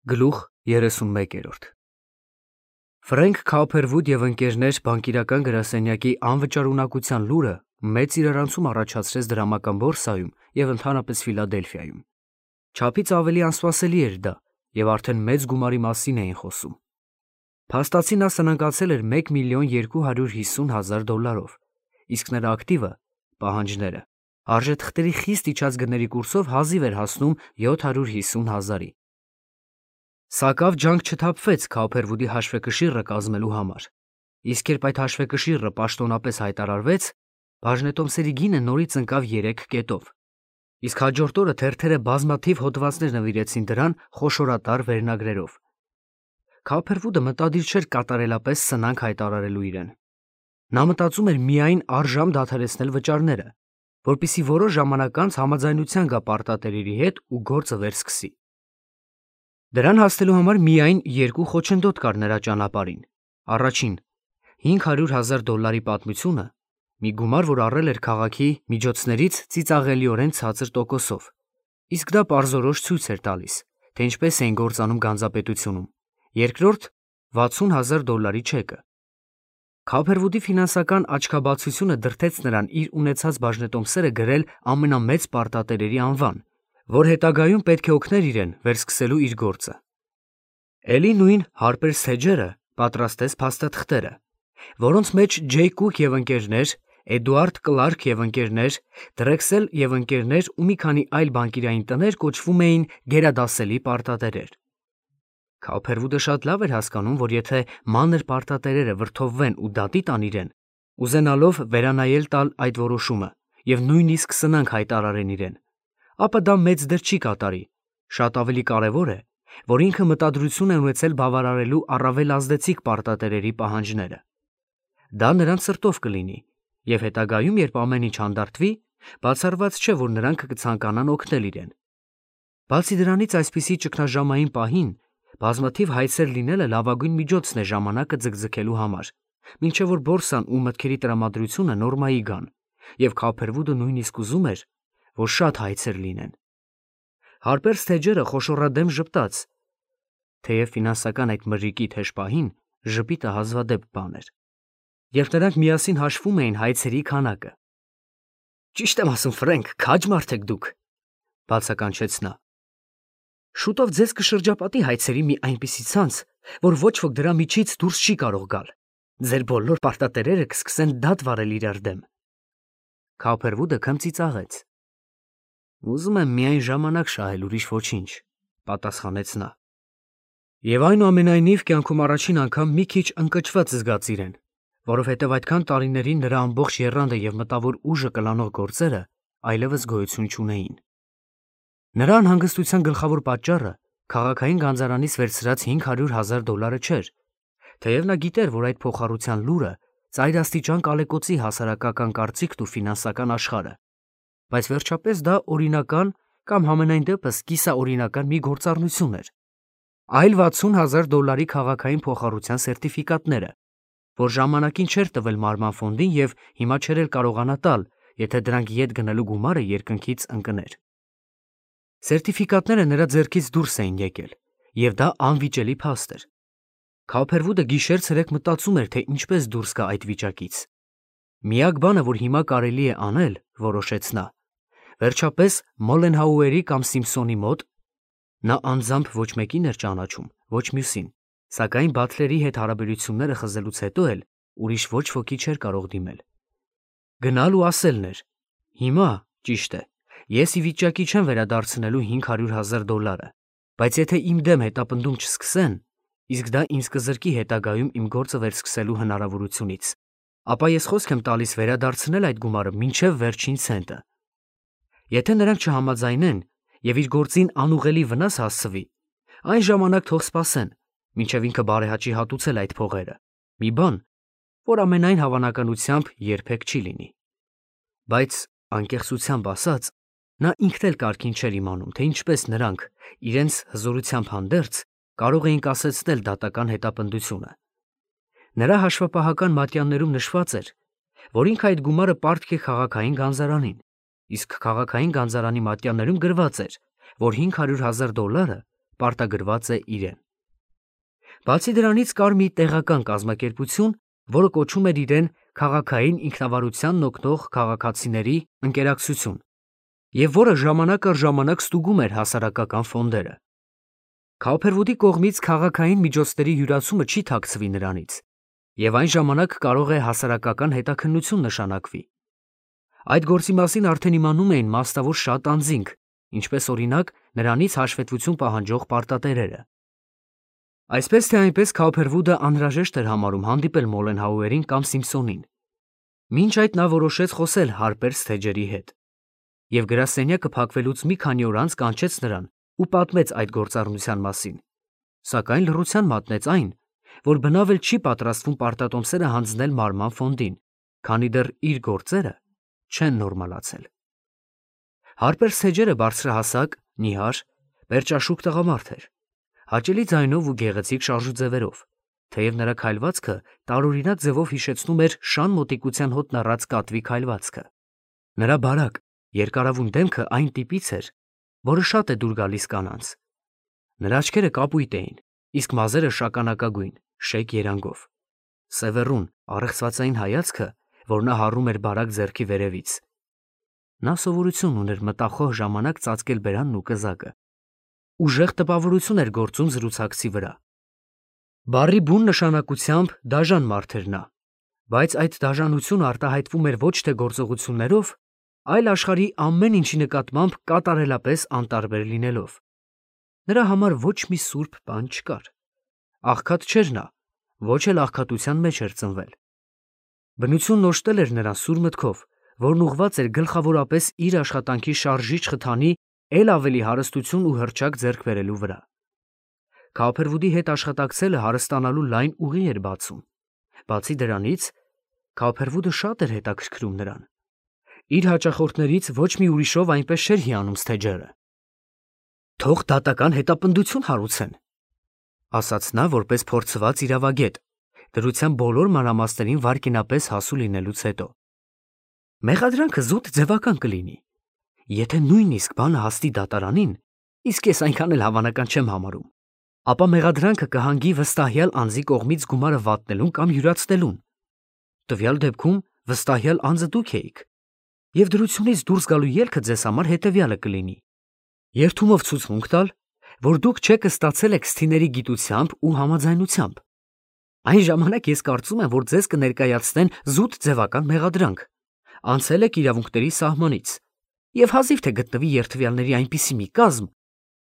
Գլուխ 31 Ֆրենք Քափերվուդ և ընկերներ բանկիրական գրասենյակի անվճարունակության լուրը մեծ իրարանցում առաջացրեց դրամական բորսայում և ընդհանրապես Ֆիլադելֆիայում։ Չափից ավելի անսպասելի էր դա, և արդեն մեծ գումարի մասին էին խոսում։ Փաստացի նա սնանկացել էր 1.250.000 $, իսկ նրա ակտիվը՝ պահանջները, արժեթղթերի խիստ իջած գների կուրսով հազիվ էր հասնում 750,000-ի։ Սակավ ջանք չթափվեց Քափերվուդի հաշվեկշիռը կազմելու համար, իսկ երբ այդ հաշվեկշիռը պաշտոնապես հայտարարվեց, բաժնետոմսերի գինը նորից ընկավ 3 կետով, իսկ հաջորդ օրը թերթերը բազմաթիվ հոդվածներ նվիրեցին դրան խոշորատար վերնագրերով։ Քափերվուդը մտադիր չէր կատարելապես սնանկ հայտարարելու իրեն։ Նա մտածում էր միայն առժամ դադարեցնել վճարները, որպեսզի որոշ ժամանակ անց համաձայնության գա պարտատերերի հետ ու գործը վերսկսի։ Դրան հասնելու համար միայն երկու խոչընդոտ կար նրա ճանապարհին։ Առաջին՝ $500,000 պատմությունը, մի գումար, որ առել էր քաղաքի միջոցներից ծիծաղելիորեն ցածր տոկոսով, իսկ դա պարզորոշ ցույց էր տալիս, թե ինչպես էին գործանում գանձապետությունում։ Երկրորդ՝ $60,000 չեկը։ Քափերվուդի ֆինանսական աչքաբացությունը դրդեց նրան իր ունեցած բաժնետոմսերը գրել ամենամեծ պարտատերերի անվան, որ հետագայում պետք է օգներ իրեն վերսկսելու իր գործը։ Էլի նույն Հարպեր Սեջերը պատրաստեց փաստաթղթերը, որոնց մեջ Ջեյ Կուք և ընկերներ, Էդուարդ Կլարք և ընկերներ, Դրեքսել և ընկերներ ու մի քանի այլ բանկիրային տներ կոչվում էին գերադասելի պարտատերեր։ Քափերվուդը շատ լավ էր հասկանում, որ եթե մանր պարտատերերը վրդովվեն ու դատի տան իրեն, ուզենալով վերանայել տալ այդ որոշումը և նույնիսկ սնանկ հայտարարեն իրեն, ապա դա մեծ դեր չի կատարի, շատ ավելի կարևոր է, որ ինքը մտադրություն է ունեցել բավարարելու առավել ազդեցիկ պարտատերերի պահանջները։ Դա նրանց սրտով կլինի, և հետագայում, երբ ամեն ինչ հանդարտվի, բացառված չէ, որ նրանք կցանկանան օգնել իրեն։ Բացի դրանից, այսպիսի ճգնաժամային պահին բազմաթիվ հայցեր լինելը լավագույն միջոցն է ժամանակը ձգձգելու համար, մինչև որ բորսան ու մտքերի տրամադրությունը նորմայի գան, և Քափերվուդը նույնիսկ ուզում էր, որ շատ հայցեր լինեն։ Հարպեր Սեջերը խոշորադեմ ժպտաց, թեև ֆինանսական այդ մրրիկի թեժ պահին ժպիտը հազվադեպ բան էր, երբ նրանք միասին հաշվում էին հայցերի քանակը։ «Ճիշտ եմ ասում, Ֆրենք, քաջ մարդ եք դուք», բացականչեց նա։ «Շուտով ձեզ կշրջապատի հայցերի մի այնպիսի ցանց, որ ոչ ոք դրա միջից դուրս չի կարող գալ։ Ձեր բոլոր պարտատերերը կսկսեն դատ վարել իրար դեմ»։ Քափերվուդը քմծիծաղեց։ «Ուզում եմ միայն ժամանակ շահել, ուրիշ ոչինչ», պատասխանեց նա։ Եվ այնուամենայնիվ կյանքում առաջին անգամ մի քիչ ընկճված զգաց իրեն, որովհետև այդքան տարիներին նրա ամբողջ եռանդը և մտավոր ուժը կլանող գործերը այլևս գոյություն չունեին։ Նրա անհանգստության գլխավոր պատճառը քաղաքային գանձարանից վերցրած $500,000 չէր, թեև նա գիտեր, որ այդ փոխառության լուրը ծայրաստիճան կալեկոծի հասարակական կարծիքն ու ֆինանսական աշխարհը, բայց վերջապես դա օրինական կամ համենայն դեպս կիսաօրինական մի գործառնություն էր, այլ $60,000 քաղաքային փոխառության սերտիֆիկատները, որ ժամանակին չէր տվել Մարման ֆոնդին և հիմա չէր էլ կարողանա տալ, եթե դրանք ետ գնելու գումարը երկնքից ընկներ։ Սերտիֆիկատները նրա ձեռքից դուրս էին եկել, և դա անվիճելի փաստ էր։ Քափերվուդը գիշեր-ցերեկ մտածում էր, թե ինչպես դուրս գա այդ վիճակից։ Միակ բանը, որ հիմա կարելի է անել, որոշեց նա, վերջապես Մոլենհաուերի կամ Սիմփսոնի մոտ, նա անձամբ ոչ մեկին էր ճանաչում, ոչ մյուսին, սակայն Բաթլերի հետ հարաբերությունները խզելուց հետո էլ ուրիշ ոչ ոքի չէր կարող դիմել, գնալ ու ասելն էր. «Հիմա, ճիշտ է, ես ի վիճակի չեմ վերադարձնելու $500,000, բայց եթե իմ դեմ հետապնդում չսկսեն, իսկ դա ինձ կզրկի հետագայում իմ գործը վերսկսելու հնարավորությունից, ապա ես խոսք եմ տալիս վերադարձնել այդ գումարը մինչև վերջին ցենտը։ Եթե նրանք չհամաձայնեն և իր գործին անուղղելի վնաս հասցվի, այն ժամանակ թող սպասեն, մինչև ինքը բարեհաճի հատուցել այդ փողերը, մի բան, որ ամենայն հավանականությամբ երբեք չի լինի»։ Բայց անկեղծությամբ ասած, նա ինքն էլ կարգին չէր իմանում, թե ինչպես նրանք, իրենց հզորությամբ հանդերձ, կարող էին կասեցնել դատական հետապնդությունը։ Նրա հաշվապահական մատյաններում նշված էր, որ ինքը այդ գումարը պարտք է քաղաքային գանձարանին, իսկ քաղաքային գանձարանի մատյաններում գրված էր, որ $500,000 պարտագրված է իրեն։ Բացի դրանից կար մի տեղական կազմակերպություն, որը կոչում էր իրեն քաղաքային ինքնավարությանն օգնող քաղաքացիների ընկերակցություն, եւ որը ժամանակ առ ժամանակ ստուգում էր հասարակական ֆոնդերը։ Քաուփերվուդի կողմից քաղաքային միջոցների յուրացումը չի թաքցվի նրանից, եւ այն ժամանակ կարող է հասարակական հետաքննություն նշանակվի։ Այդ գործի մասին արդեն իմանում էին մասնավոր շատ անձինք, ինչպես օրինակ նրանից հաշվետվություն պահանջող պարտատերերը։ Այսպես թե այնպես Քաուփերվուդը անհրաժեշտ էր համարում հանդիպել Մոլենհաուերին կամ Սիմփսոնին։ Մինչ այդ նա որոշեց խոսել Հարպեր Սթեջերի հետ, եւ գրասենյակը փակվելուց մի քանի օր անց կանչեց նրան ու պատմեց այդ գործառնության մասին, սակայն լռության մատնեց այն, որ բնավ էլ չի պատրաստվում պարտատոմսերը հանձնել մարման ֆոնդին, քանի դեռ իր գործերը չեն նորմալացել։ Հարպեր Սթեջերը բարձրահասակ, նիհար, պերճաշուք տղամարդ էր, հաճելի ձայնով ու գեղեցիկ շարժուձևերով, թեև նրա քայլվածքը տարօրինակ ձևով հիշեցնում էր շան մոտիկության հոտն առած կատվի քայլվածքը։ Նրա բարակ, երկարավուն դեմքը այն տիպից էր, որը շատ է դուր գալիս կանանց։ Նրա աչքերը կապույտ էին, իսկ մազերը շագանակագույն, շեկ երանգով։ Սևեռուն, առեղծվածային հայացքը, որ նա հառում էր բարակ ձեռքի վերևից։ Նա սովորություն ուներ մտախոհ ժամանակ ծածկել բերանն ու կզակը։ Ուժեղ տպավորություն էր գործում զրուցակցի վրա։ Բառի բուն նշանակությամբ դաժան մարդ էր նա, բայց այդ դաժանությունը արտահայտվում էր ոչ թե գործողություններով, այլ աշխարհի ամեն ինչի նկատմամբ կատարելապես անտարբեր լինելով։ Նրա համար ոչ մի սուրբ բան չկար։ Աղքատ չէր նա, ոչ էլ աղքատության մեջ էր ծնվել։ Բնությունն օժտել էր նրան սուր մտքով, որն ուղղված էր գլխավորապես իր աշխատանքի շարժիչ խթանի էլ ավելի հարստություն ու հռչակ ձեռք բերելու վրա։ Քաուփերվուդի հետ աշխատակցելը հարստանալու լայն ուղի էր բացում։ Բացի դրանից, Քաուփերվուդը շատ էր հետաքրքրում նրան։ Իր հաճախորդներից ոչ մի ուրիշով այնպես չէր հիանում Սթեջերը։ «Թող դատական հետապնդություն հարուցեն», ասաց նա որպես փորձված իրավագետ, դրության բոլոր մանրամասներին վարկինապես հասու լինելուց հետո։ Մեղադրանքը զուտ ձևական կլինի։ Եթե նույնիսկ բանը հասնի դատարանին, իսկ ես այնքան էլ հավանական չեմ համարում, ապա մեղադրանքը կհանգի վստահյալ անձի կողմից գումարը վատնելուն կամ յուրացնելուն։ Տվյալ դեպքում վստահյալ անձը դուք էիք, եւ դրությունից դուրս գալու ելքը ձեզ համար հետեւյալը կլինի. երթումով ցուցմունք տալ, որ դուք չեք ստացել եք սթիների գիտությամբ ու համաձայնությամբ։ Այն ժամանակ ես կարծում եմ, որ ձեզ կներկայացնեն զուտ ձևական մեղադրանք, անցել եք իրավունքների սահմանից, եւ հազիվ թե գտնվի երթվյալների այնպիսի մի կազմ,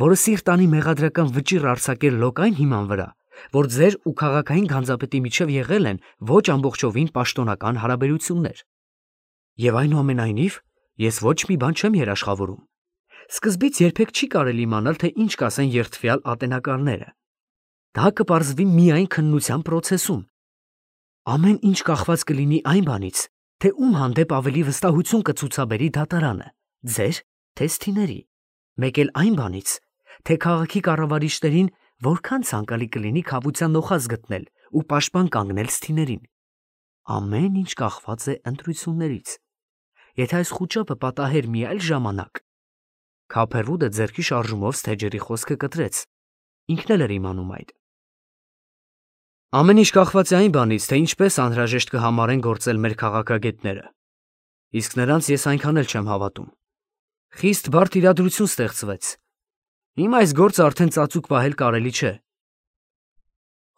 որը սիրտ անի մեղադրական վճիռ արձակել լոկային հիման վրա, որ ձեր ու քաղաքային գանձապետի միջև եղել են ոչ ամբողջովին պաշտոնական հարաբերություններ։ Եվ այնուամենայնիվ, ես ոչ մի բան չեմ երաշխավորում։ Սկզբից երբեք չի կարելի իմանալ, թե ինչ կասեն երթվյալ ատենակալները։ Դա կպարզվի միայն քննության պրոցեսում։ Ամեն ինչ կախված կլինի այն բանից, թե ում հանդեպ ավելի վստահություն կցուցաբերի դատարանը, ձեր, թե սթիների, մեկ էլ այն բանից, թե քաղաքի կառավարիչներին որքան ցանկալի կլինի քավության նոխազ գտնել ու պաշտպան կանգնել սթիներին։ Ամեն ինչ կախված է ընտրություններից։ Եթե այս խուճապը պատահեր մի այլ ժամանակ, Քաուփերվուդը ձեռքի շարժումով Սթեջերի խոսքը կտրեց, ինքն էլ էր իմանում այդ։ Ամեն ինչ կախված է այն բանից, թե ինչպես անհրաժեշտ կհամարեն գործել մեր քաղաքագետները։ Իսկ նրանց ես այնքան էլ չեմ հավատում։ Խիստ բարդ իրադրություն ստեղծվեց։ Հիմա այս գործը արդեն ծածուկ պահել կարելի չէ։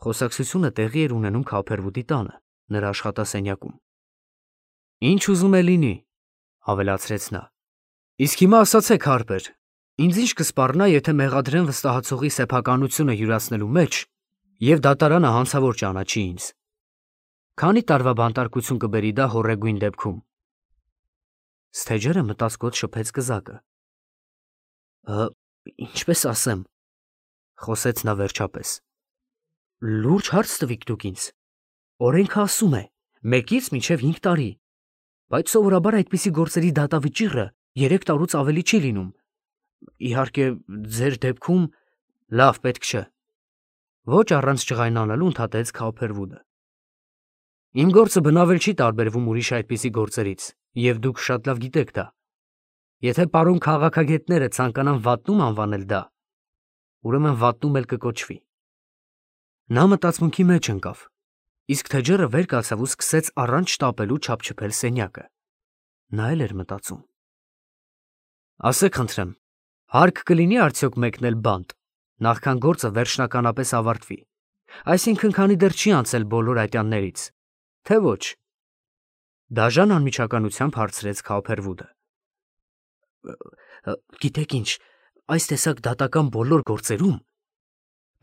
Խոսակցությունը տեղի էր ունենում Քաուփերվուդի տանը, նրա աշխատասենյակում։ Ինչ ուզում է լինի, ավելացրեց նա։ Իսկ հիմա ասացեք, Հարպեր, ինձ ինչ կսպառնա, եթե մեղադրեն վստահացողի սեփականությունը յուրացնելու մեջ եւ դատարանը հանցավոր ճանաչի ինձ։ Քանի տարվա բանտարկություն կբերի դա հոռեգույն դեպքում։ Սթեջերը մտածկոտ շփեց կզակը։ Ինչպես ասեմ, խոսեց նա վերջապես։ Լուրջ հարց տվիք դուք ինձ։ Օրենքը ասում է 1-ից մինչև 5 տարի, բայց սովորաբար այդպիսի գործերի դատավճիռը 3 տարուց ավելի չի լինում։ Իհարկե, ձեր դեպքում լավ պետք չէ։ Ոչ առանց ջղայնանալու ընդհատեց Քաուփերվուդը։ Իմ գործը բնավ էլ չի տարբերվում ուրիշ այդպիսի գործերից, եւ դուք շատ լավ գիտեք դա։ Եթե պարոն քաղաքագետները ցանկանան վատնում անվանել դա, ուրեմն վատնում էլ կկոչվի։ Նա մտածմունքի մեջ ընկավ, իսկ թեջերը վեր կացավ ու սկսեց առանց շտապելու չափչփել սենյակը։ Նա էլ էր մտածում. ասեք խնդրեմ, հարկ կլինի արդյոք մեկնել բանտ, նախքան գործը վերջնականապես ավարտվի, այսինքն քանի դեռ չի անցել բոլոր ատյաններից, թե ոչ։ Դաժան անմիջականությամբ հարցրեց Քաուփերվուդը։ Գիտեք ինչ, այս տեսակ դատական բոլոր գործերում,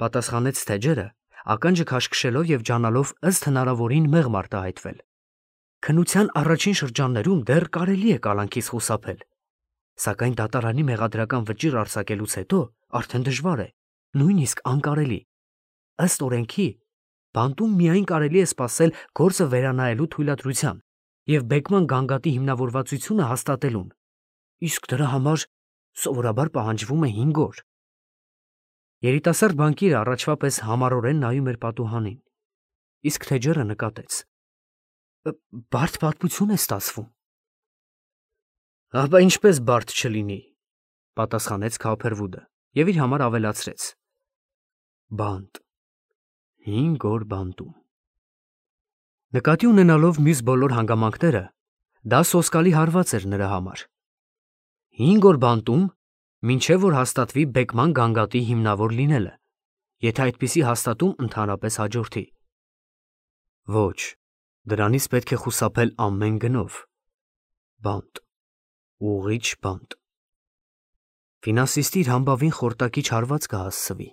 պատասխանեց թեջերը, ականջը քաշքշելով եւ ջանալով ըստ հնարավորին մեղմ արտահայտվել։ Քննության առաջին շրջաններում դեռ կարելի է կալանքից խուսափել, սակայն դատարանի մեղադրական վճիռ արձակելուց հետո արդեն դժվար է, նույնիսկ անկարելի։ Ըստ օրենքի, բանտում միայն կարելի է սպասել գործը վերանայելու թույլատրության եւ բեկման գանգատի հիմնավորվածությունը հաստատելուն, իսկ դրա համար սովորաբար պահանջվում է 5 օր։ Երիտասարդ բանկիրը առաջվա պես համառորեն նայում էր պատուհանին, իսկ թեջերը նկատեց. բարդ պատմություն է ստացվում։ Ապա ինչպես բարդ չլինի, պատասխանեց Քաուփերվուդը եւ իր համար ավելացրեց. բանտ, 5 օր բանտում։ Նկատի ունենալով մյուս բոլոր հանգամանքները, դա սոսկալի հարված էր նրա համար։ 5 օր բանտում, մինչև որ հաստատվի բեկման գանգատի հիմնավոր լինելը, եթե այդպիսի հաստատում ընդհանրապես հաջորդի։ Ոչ, դրանից պետք է խուսափել ամեն գնով։ Բանտ, ուղիղ բանտ։ Ֆինանսիստի իր համբավին խորտակիչ հարված կհասցվի։